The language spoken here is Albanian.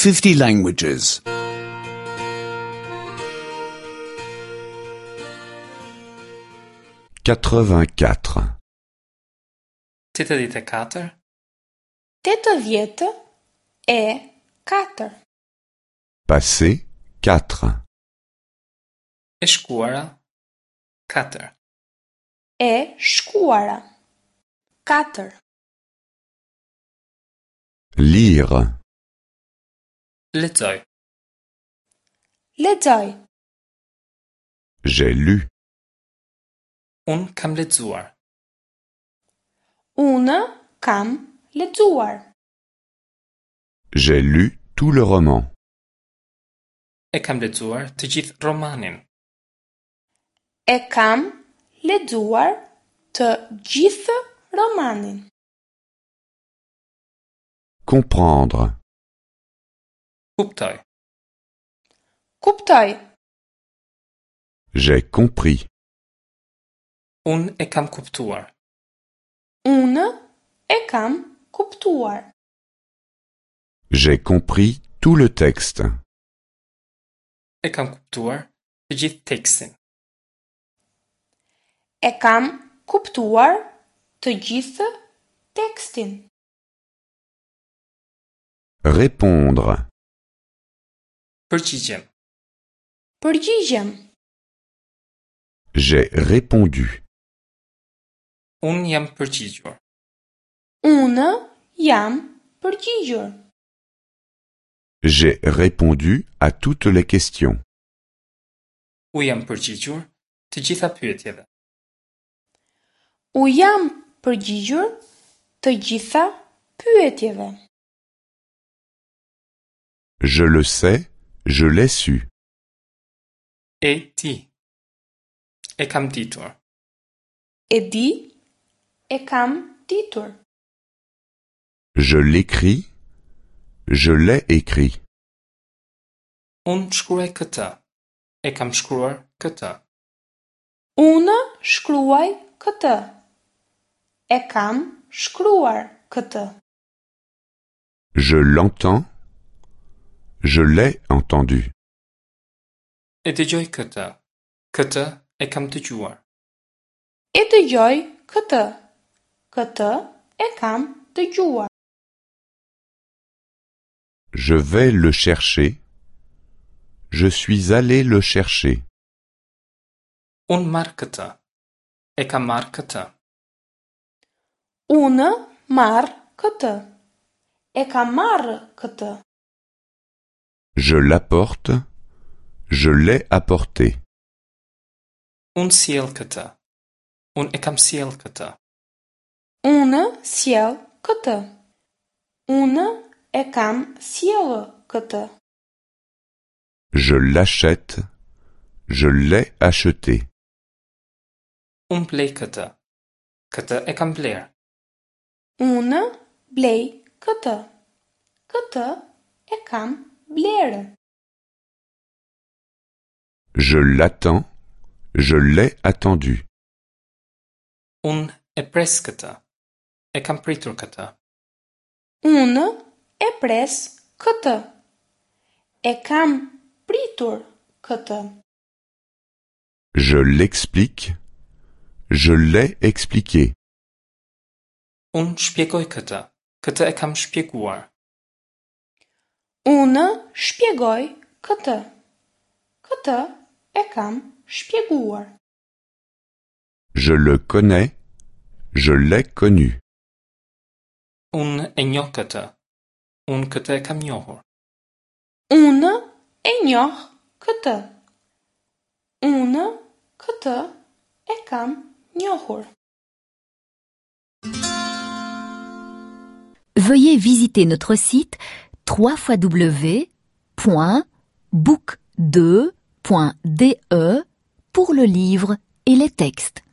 50 languages. 84. 84. 84. Passé 4. E shkuara 4. E shkuara. 4. Lire. Lexoj. Lexoj. J'ai lu. Unë kam lexuar. Unë kam lexuar. J'ai lu tout le roman. E kam lexuar të gjithë romanin. E kam lexuar të gjithë romanin. Comprendre. Kuptoj. Kuptoj. J'ai compris. Unë e kam kuptuar. Unë e kam kuptuar. J'ai compris tout le texte. E kam kuptuar të gjithë tekstin. E kam kuptuar të gjithë tekstin. Répondre. Përgjigjem. Përgjigjem. J'ai répondu. Unë jam përgjigjur. Unë jam përgjigjur. J'ai répondu à toutes les questions. U jam përgjigjur të gjitha pyetjeve. U jam përgjigjur të gjitha pyetjeve. Je le sais, je l'ai su. E di. E kam ditur. E di, e kam ditur. Je l'écris, je l'ai écrit. Unë shkruaj këtë. E kam shkruar këtë. Unë shkruaj këtë. E kam shkruar këtë. Je l'entends, je l'ai entendu. E dëgjoj këtë. Këtë e kam dëgjuar. E dëgjoj këtë. Këtë e kam dëgjuar. Je vais le chercher. Je suis allé le chercher. Unë marr këtë. E kam marrë këtë. Unë marr këtë. E kam marrë këtë. Je l'apporte. Je l'ai apporté. Unë sjell këtë. Unë e kam sjell këtë. Unë sjell këtë. Unë e kam sjellë këtë. Je l'achète. Je l'ai acheté. Unë blej këtë. Këtë e kam blerë. Unë blej këtë. Këtë e kam blerë. Je l'attends. Je l'ai attendu. Unë e pres këtë. E kam pritur këtë. Unë e pres këtë. E kam pritur këtë. Je l'explique. Je l'ai expliqué. Unë shpjegoj këtë. Këtë e kam shpjeguar. Unë shpjegoj këtë. Këtë e kam shpjeguar. Je le connais. Je l'ai connu. Unë e njoh këtë. Unë këtë e kam njohur. Unë e njoh këtë. Unë këtë e kam njohur. Veuillez visiter notre site www.book2.de pour le livre et les textes.